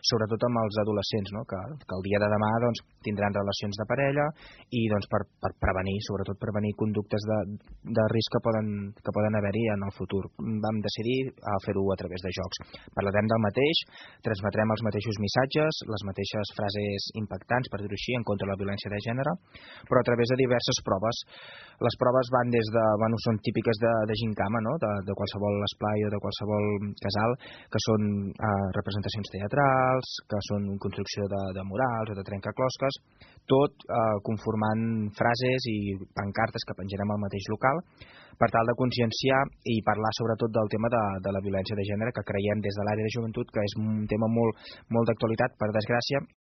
sobretot amb els adolescents, no? que el dia de demà doncs, tindran relacions de parella i doncs, per prevenir, sobretot prevenir conductes de risc que poden haver-hi en el futur. Vam decidir fer-ho a través de jocs. Parlarem del mateix, transmetrem els mateixos missatges, les mateixes frases impactants, per dir-ho així, en contra de la violència de gènere, però a través de diverses proves. Les proves van des de, són típiques de gincama, no? de qualsevol esplai o de qualsevol casal, que són representacions teatrals, que són construcció de murals o de trencaclosques, tot conformant frases i pancartes que penjarem al mateix local, per tal de conscienciar i parlar sobretot del tema de la violència de gènere, que creiem des de l'àrea de joventut que és un tema molt d'actualitat, per desgràcia,